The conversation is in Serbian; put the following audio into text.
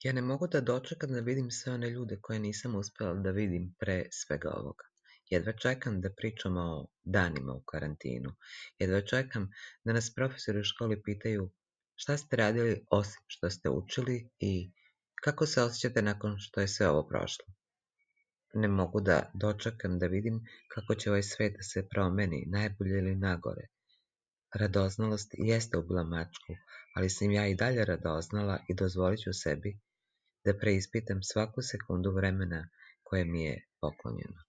Ja ne mogu da dočekam da vidim sve one ljude koje nisam uspela da vidim pre svega ovoga. Jedva čekam da pričamo o danima u karantinu. Jedva čekam da nas profesori u školi pitaju šta ste radili osim što ste učili i kako se osjećate nakon što je sve ovo prošlo. Ne mogu da dočekam da vidim kako će ovaj svet da se promeni, najbolje ili nagore. Radoznalost jeste ubila mačku, ali sam ja i dalje radoznala i dozvolit ću sebi da preispitam svaku sekundu vremena koje mi je poklonjeno.